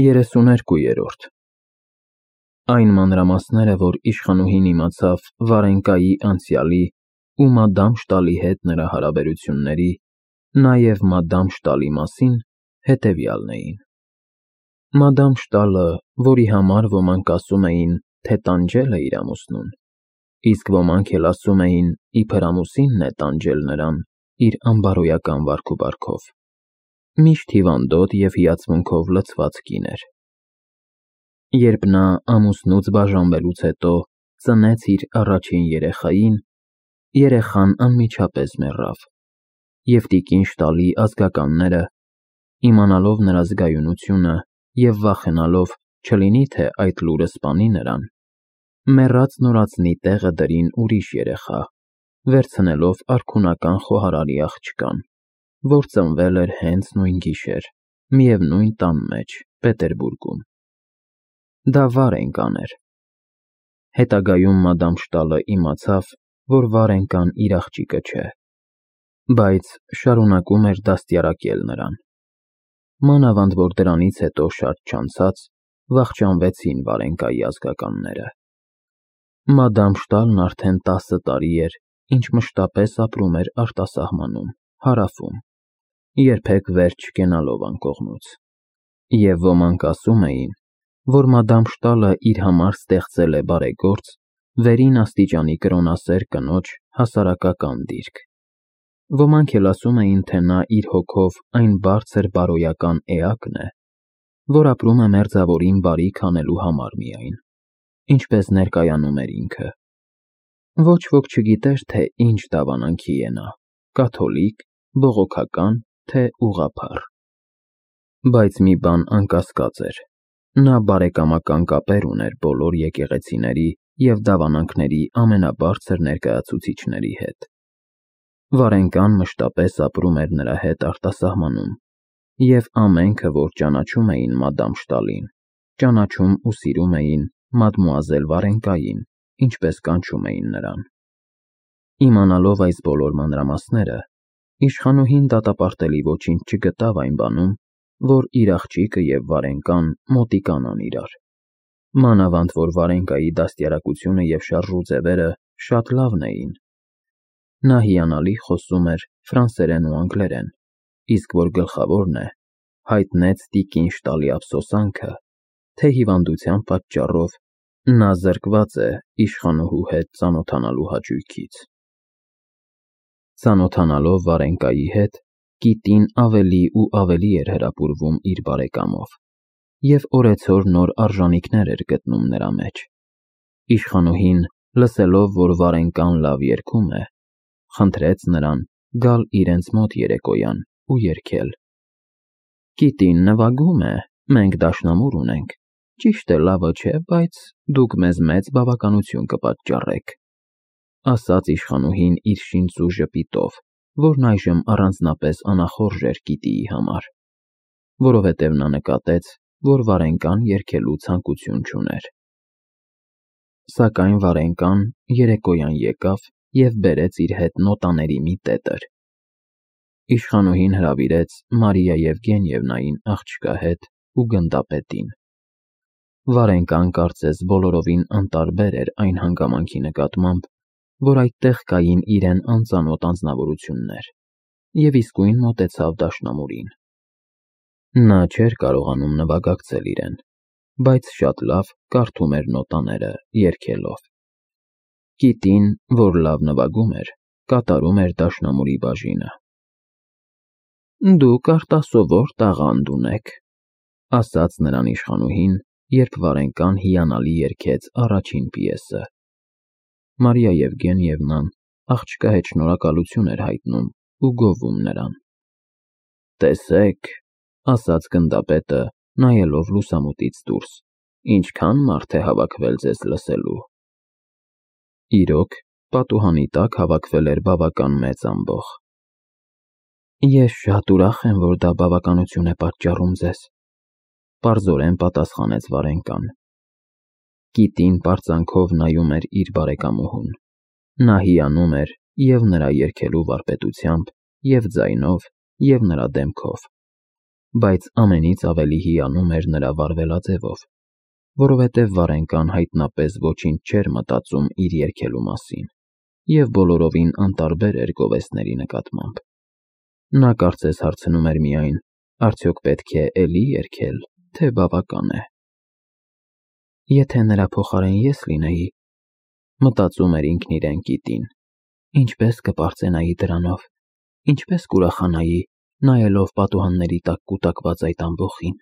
32-րդ Այն մանրամասները, որ իշխանուհին իմացավ Վարենկայի անցյալի ու մադամ Շտալի հետ նրա հարաբերությունների, նաև մադամ Շտալի մասին, հետևյալն էին. Մադամ Շտալը, որի համար ոմանք ասում էին, թե տանջել է իր ամուսնուն, իսկ ոմանք էլ ասում էին, իբր ամուսինն է տանջել նրան իր անբարոյական վարքուվարքով, միշտ հիվանդոտ և հիացմունքով լցված կին էր։ Երբ նա ամուսնուց բաժանվելուց հետո ծնեց իր առաջին երեխային, երեխան անմիջապես մեռավ, և տիկին Շտալի ազգականները, իմանալով նրա զգայունությունը և վախենալով, չլինի թե այդ լուրը սպանի նրան, մեռած նորածնի տեղը դրին ուրիշ երեխա, վերցնելով արքունական խոհարարի աղջկան, որ ծնվել էր հենց նույն գիշեր, միևնույն տան մեջ, Պետերբուրգում։ Դա Վարենկան էր։ Հետագայում մադամ Շտալը իմացավ, որ Վարենկան իր աղջիկը չէ, բայց շարունակում էր դաստիարակել նրան։ Մանավանդ որ դրանից հետո շատ չանցած վախճանվեցին Վարենկայի ազգականները։ Մադամ Շտալն արդեն 10 տարի էր, ինչ մշտապես ապրում էր արտասահմանում, Հարավում, երբեք վերջ չկենալով անկողնուց, և ոմանք ասում էին, որ մադամ Շտալը իր համար ստեղծել է բարեգործ, վերին աստիճանի կրոնասեր կնոջ հասարակական դիրք։ Ոմանք էլ ասում էին, թե նա իր հոգով այն բարձր բարոյական էակն է, որ ապրում է մերձավորին բարիք անելու համար միայն, ինչպես ներկայանում էր ինքը։ Ոչ ոք չգիտեր, թե ինչ դավանանքի է նա, կաթոլիկ, բողոքական, թե ուղղափառ։ Բայց մի բան անկասկած էր. նա բարեկամական կապեր ուներ բոլոր եկեղեցիների և դավանանքների ամենաբարձր ներկայացուցիչների հետ։ Վարենկան մշտապես ապրում էր նրա հետ արտասահմանում, և ամենքը, որ ճանաչում էին մադամ Շտալին, ճանաչում ու սիրում էին մադմուազել Վարենկային, ինչպես կանչում էին նրան։ Իմանալով այս բոլոր մանրամասները, իշխանուհին դատապարտելի ոչինչ չգտավ այն բանում, որ իր աղջիկը և Վարենկան մոտիկանան իրար, մանավանդ որ Վարենկայի դաստիարակությունը և շարժուձևերը շատ լավն էին։ Նա հիանալի խոսում էր ֆրանսերեն ու անգլերեն, իսկ որ գլխավորն է, հայտնեց տիկին Շտալի ափսոսանքը, թե հիվանդության պատճառով նա զրկված է իշխանուհու հետ ծանոթանալու հաճույքից։ Ծանոթանալով Վարենկայի հետ, կիտին ավելի ու ավելի էր հրապուրվում իր բարեկամով և օրեցօր նոր արժանիքներ էր գտնում նրա մեջ։ Իշխանուհին, լսելով, որ Վարենկան լավ երգում է, խնդրեց նրան գալ իրենց մոտ երեկոյան ու երգել։ Կիտին նվագում է, մենք դաշնամուր ունենք, ճիշտ է, լավը չէ, բայց դուք մեզ մեծ բավականություն կպատճառեք, ասաց իշխանուհին իր շինծու ժպիտով, որն այժմ առանձնապես անախորժ էր կիտիի համար, որովհետև նա նկատեց, որ Վարենկան երգելու ցանկություն չուներ։ Սակայն Վարենկան երեկոյան եկավ և բերեց իր հետ նոտաների մի տետր։ Իշխանուհին հրավիրեց Մարիա Եվգենիևնային աղջկա հետ ու գնդապետին։ Վարենկան կարծես բոլորովին անտարբեր էր այն հանգամանքի նկատմամբ, որ այդտեղ կային իրեն անծանոթ անձնավորություններ, և իսկույն մոտեցավ դաշնամուրին։ Նա չէր կարողանում նվագակցել իրեն, բայց շատ լավ կարդում էր նոտաները, երգելով։ Կիտին, որ լավ նվագում էր, կատարում էր դաշնամուրի բաժինը։ Դուք արտասովոր տաղանդ ունեք, ասաց նրան իշխանուհին, երբ Վարենկան հիանալի երգեց առաջին պիեսը։ Մարիա Եվգենիևնան աղջկա հետ շնորհակալություն էր հայտնում ու գովում նրան։ Տեսեք, ասաց գնդապետը, նայելով լուսամուտից դուրս, ինչքան մարդ է հավաքվել ձեզ լսելու։ Իրոք, պատուհանի տակ հավաքվել էր բավական մեծ ամբոխ։ Ես շատ ուրախ եմ, որ դա բավականություն է պատճառում ձեզ, պարզորեն պատասխանեց Վարենկան։ Կիտին պարծանքով նայում էր իր բարեկամուհուն։ Նա հիանում էր և նրա երգելու վարպետությամբ, և ձայնով, և նրա դեմքով։ բայց ամենից ավելի հիանում էր նրա վարվելաձևով, որովհետև Վարենկան հայտնապես ոչինչ չէր մտածում իր երգելու մասին և բոլորովին անտարբեր էր գովեստների նկատմամբ։ Նա կարծես հարցնում էր միայն, արդյոք պետք է էլի երգել, թե բավական է։ Եթե նրա փոխարեն ես լինեի, մտածում էր ինքն իրեն Կիտին, ինչպես կպարծենայի դրանով, ինչպես կուրախանայի, նայելով պատուհանների տակ կուտակված այդ ամբոխին։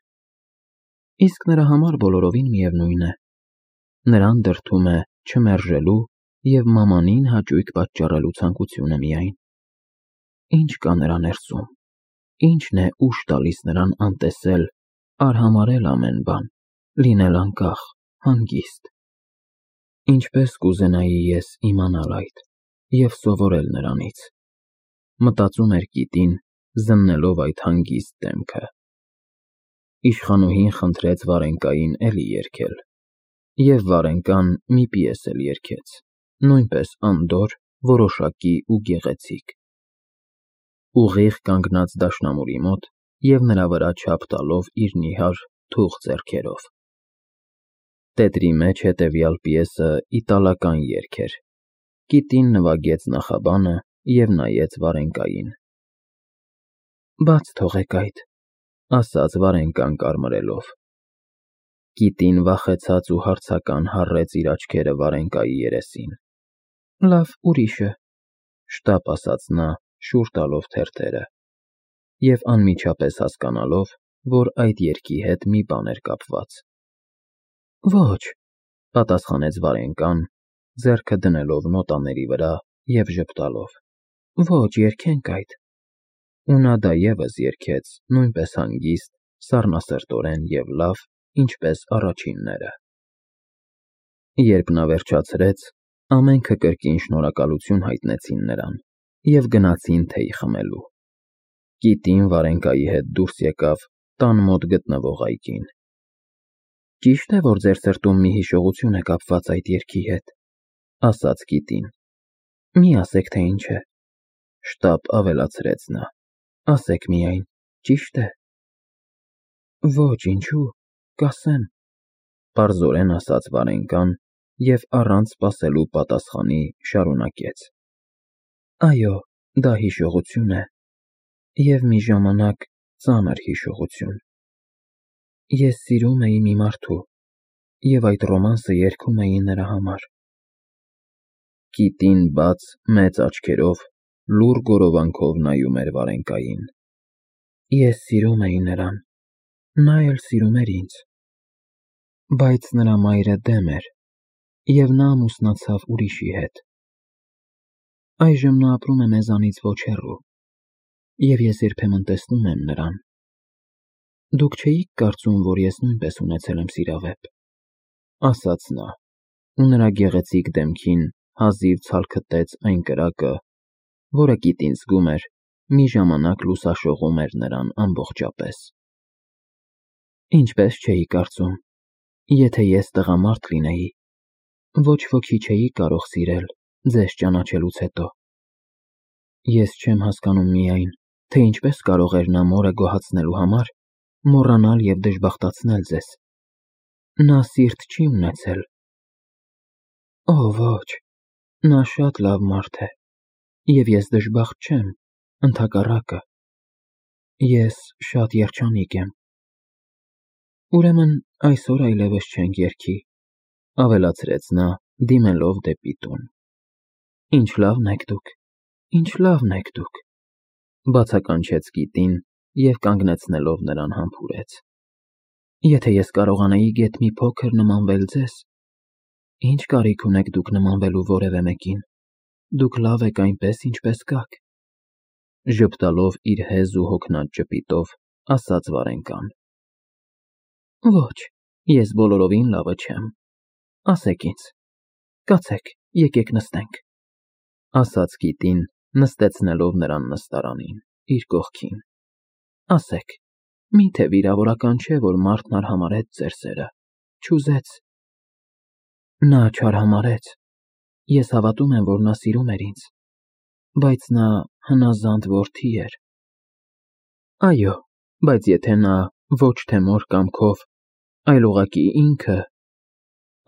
Իսկ նրա համար բոլորովին միևնույն է։ Նրան դրդում է չմերժելու և մամանին հաճույք պատճառելու ցանկությունը միայն։ Ինչ կա նրա ներսում, ինչն է ուժ տալիս նրան անտեսել, արհամարհել ամեն բան, լինել անկախ, հանգիստ։ Ինչպես կուզենայի ես իմանալ այդ և սովորել նրանից, մտածում էր Կիտին, զննելով այդ հանգիստ դեմքը։ Իշխանուհին խնդրեց Վարենկային էլի երգել, և Վարենկան մի պիես էլ երգեց, նույնպես անդորր, որոշակի ու գեղեցիկ։ Ուղիղ կանգնած դաշնամուրի մոտ և նրա վրա չափ տալով իր նիհար, թուխ ձեռքերով։ Տետրի մեջ հետևյալ պիեսը իտալական երգ էր։ Կիտին նվագեց նախաբանը և նայեց Վարենկային։ Բաց թողեք այդ, ասաց Վարենկան կարմրելով։ Կիտին վախեցած ու հարցական հառեց իր աչքերը Վարենկայի երեսին։ Լավ, ուրիշը, շտապ ասաց նա, շուռ տալով թերթերը, և անմիջապես հասկանալով, որ այդ երգի հետ մի բան էր կապված։ Ոչ, պատասխանեց Վարենկան, ձեռքը դնելով նոտաների վրա և ժպտալով։ Ոչ, երգենք այդ։ Ու նա դա ևս երգեց, նույնպես հանգիստ, սառնասրտորեն և լավ, ինչպես առաջինները։ Երբ նա վերջացրեց, ամենքը կրկին շնորհակալություն հայտնեցին նրան և գնացին թեյ խմելու։ Կիտին Վարենկայի հետ դուրս եկավ տան մոտ գտնվող այգին։ Ճիշտ է, որ ձեր սրտում մի հիշողություն է կապված այդ երգի հետ, ասաց Կիտին։ Մի ասեք, թե ինչ է, շտապ ավելացրեց նա, ասեք միայն, ճիշտ է։ Ոչ, ինչու, կասեմ, պարզորեն ասաց Վարենկան և առանց սպասելու պատասխանի շարունակեց։ Այո, դա հիշողություն է և մի ժամանակ ծանր հիշողություն։ Ես սիրում էի մի մարդու և այդ ռոմանսը երգում էի նրա համար։ Կիտին բաց, մեծ աչքերով, լուռ գորովանքով նայում էր Վարենկային։ Ես սիրում էի նրան, նա էլ սիրում էր ինձ։ Բայց նրա մայրը դեմ էր, և նա ամուսնացավ ուրիշի հետ։ Այժմ նա ապրում է մեզանից ոչ հեռու, և ես երբեմն տեսնում եմ նրան։ Դուք չէիք կարծում, որ ես նույնպես ունեցել եմ սիրավեպ, ասաց նա, ու նրա գեղեցիկ դեմքին հազիվ ցալքտեց այն կրակը, որը Կիտին զգում էր, մի ժամանակ լուսաշողում էր նրան ամբողջապես։ Ինչպես չէի կարծում, եթե ես տղամարդ լինեի, ոչ ոքի չէի կարող սիրել ձեզ ճանաչելուց հետո։ Ես չեմ հասկանում միայն, թե ինչպես կարող էր նա մորը գոհացնելու համար մոռանալ և դժբախտացնել ձեզ։ Նա սիրտ չի ունեցել։ Օ, ոչ, նա շատ լավ մարդ է, և ես դժբախտ չեմ, ընդհակառակը, ես շատ երջանիկ եմ։ Ուրեմն այսօր այլևս չենք երգի, ավելացրեց նա, դիմելով դեպի տուն։ Ինչ լավն եք դուք, ինչ լավն եք դուք, բացականչեց Կիտին և կանգնեցնելով նրան համբուրեց։ Եթե ես կարողանայի գեթ մի փոքր նմանվել ձեզ, ինչ կարիք ունեք դուք նմանվելու որևէ մեկին, դուք լավ եք այնպես, ինչպես կաք, ժպտալով իր հեզ ու հոգնած ժպիտով, ասաց Վարենկան։ Ոչ, ես բոլորովին լավը չեմ, ասեք ինձ, կացեք, եկեք նստենք, ասաց Կիտին, նստեցնելով նրան նստարանին, իր կողքին։ Ասեք, միթե վիրավորական չէ, որ մարդն արհամարհեց ձեր սերը, չուզեց։ Նա չարհամարհեց, ես հավատում եմ, որ նա սիրում էր ինձ, բայց նա հնազանդ որդի էր։ Այո, բայց եթե նա ոչ թե մոր կամքով, այլ ուղղակի ինքը,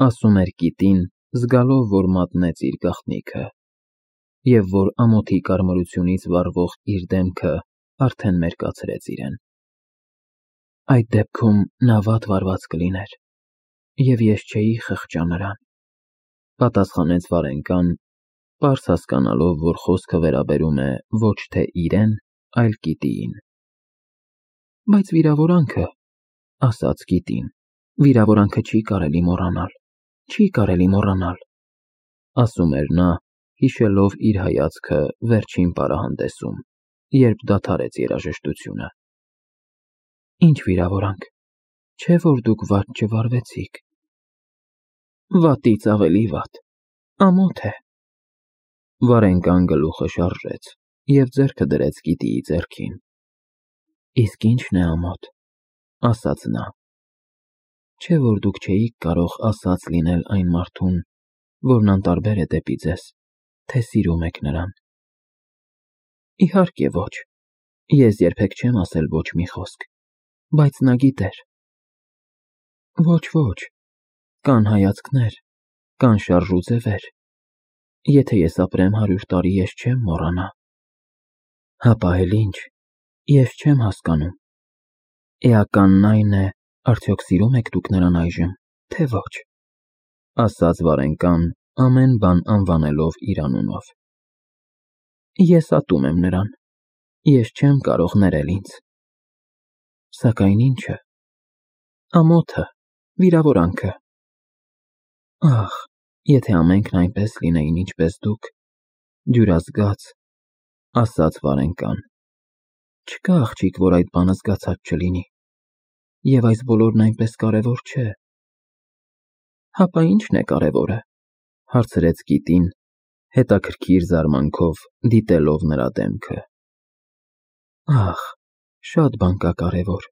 ասում էր Կիտին, զգալով, որ մատնեց իր գաղտնիքը, և որ ամոթի կարմրությունից վառվող իր դեմքը արդեն մերկացրեց իրեն։ Այդ դեպքում նա վատ վարված կլիներ, և ես չէի խղճա նրան, պատասխանեց Վարենկան, պարզ հասկանալով, որ խոսքը վերաբերում է ոչ թե իրեն, այլ Կիտիին։ Բայց վիրավորանքը, ասաց Կիտին, վիրավորանքը չի կարելի մոռանալ, չի կարելի մոռանալ, ասում էր նա, հիշելով իր հայացքը վերջին պարահանդեսում, երբ դադարեց երաժշտությունը։ Ինչ վիրավորանք, չէ որ դուք վատ չվարվեցիք։ Վատից ավելի վատ, ամոթ է։ Վարենկան գլուխը շարժեց և ձեռքը դրեց Կիտիի ձեռքին։ Իսկ ինչն է ամոթ, ասաց նա։ Չէ որ դուք չէիք կարող ասած լինել այն մարդուն, որն անտարբեր է դեպի ձեզ, թե սիրում եք նրան։ Իհարկե ոչ, ես երբեք չեմ ասել ոչ մի խոսք, բայց նա գիտեր։ Ոչ, կան հայացքներ, կան շարժուձևեր, եթե ես ապրեմ 100 տարի, ես չեմ մոռանա։ Հապա էլ ինչ, ես չեմ հասկանում։ Էականն այն է, արդյոք սիրում եք դուք նրան այժմ, թե ոչ, ասաց Վարենկան, ամեն բան անվանելով իր անունով։ Ես ատում եմ նրան, ես չեմ կարող ներել ինձ։ Սակայն ինչը։ Ամոթը, վիրավորանքը։ Ախ, եթե ամենքն այնպես լինեին, ինչպես դուք, դյուրազգաց, ասաց Վարենկան։ Չկա աղջիկ, որ այդ բանը զգացած չլինի, և այս բոլորն այնպես կարևոր չէ։ Հապա ինչն է կարևորը, հարցրեց Կիտին, հետաքրքիր զարմանքով դիտելով նրա դեմքը։ Ախ, շատ բան կա կարևոր,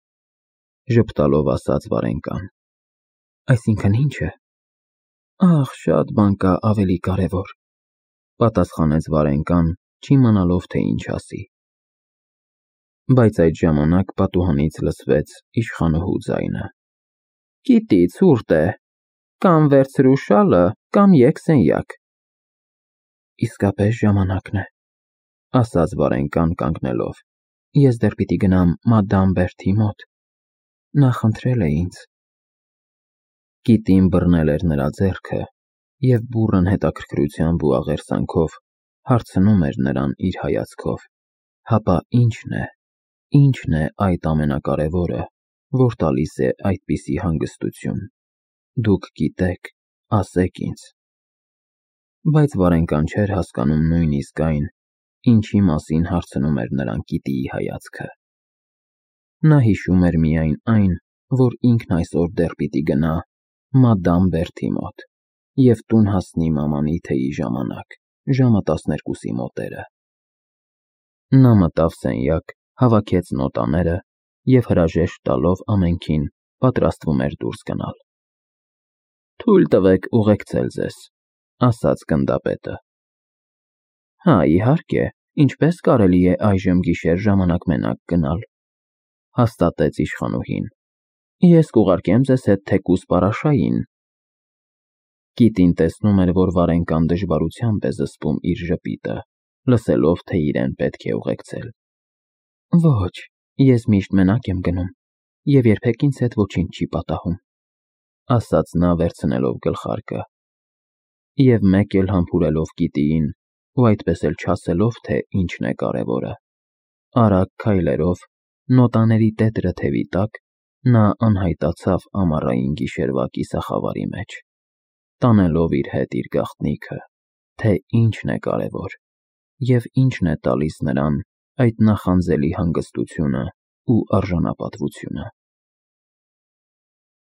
ժպտալով ասաց Վարենկան։ Այսինքն ինչը։ Ախ, շատ բան կա ավելի կարևոր, պատասխանեց Վարենկան, չիմանալով, թե ինչ ասի։ Բայց այդ ժամանակ պատուհանից լսվեց իշխանուհու ձայնը. Կիտի, ցուրտ է, կամ վերցրու շալը, կամ եկ սենյակ։ Իսկապես ժամանակն է, ասաց Վարենկան կանգնելով։ Ես դեռ պիտի գնամ մադամ Բերթի մոտ։ Նա խնդրել է ինձ։ Կիտին բռնել էր նրա ձեռքը և բուռն հետաքրքրությամբ ու աղերսանքով հարցնում էր նրան իր հայացքով. Հապա ինչն է այդ ամենակարևորը, որ տալիս է այդպիսի հանգստություն։ Դուք գիտեք, ասեք ինձ։ Բայց Վարենկան չէր հասկանում նույնիսկ այն, ինչի մասին հարցնում էր նրան Կիտիի հայացքը։ Նա հիշում էր միայն այն, որ ինքն այսօր դեռ պիտի գնա մադամ Բերթի մոտ և տուն հասնի մամանի թեյի ժամանակ, ժամը 12-ի մոտերը։ Նա մտավ սենյակ, հավաքեց նոտաները և հրաժեշտ տալով ամենքին պատրաստվում էր դուրս գնալ։ Թույլ տվեք ուղեկցել ձեզ, ասաց գնդապետը։ Հա, իհարկե, ինչպես կարելի է այժմ գիշեր ժամանակ մենակ գնալ, հաստատեց իշխանուհին։ Ես կուղարկեմ ձեզ հետ թեկուզ Պարաշային։ Կիտին տեսնում էր, որ Վարենկան դժվարությամբ է զսպում իր ժպիտը, լսելով, թե իրեն պետք է ուղեկցել։ Ոչ, ես միշտ մենակ եմ գնում, և երբեք ինձ հետ ոչինչ չի պատահում, ասաց նա վերցնելով գլխարկը։ Եվ մեկ էլ համբուրելով Կիտիին, ու այդպես էլ չասելով, թե ինչն է կարևորը։ Արագ քայլերով, նոտաների տետրը թևի տակ, նա անհայտացավ ամառային գիշերվա կիսախավարի մեջ, տանելով իր հետ իր գաղտնիքը, թե ինչն է կարևոր և ինչն է տալիս նրան այդ նախանձելի հանգստությունը ու արժանապատվությունը։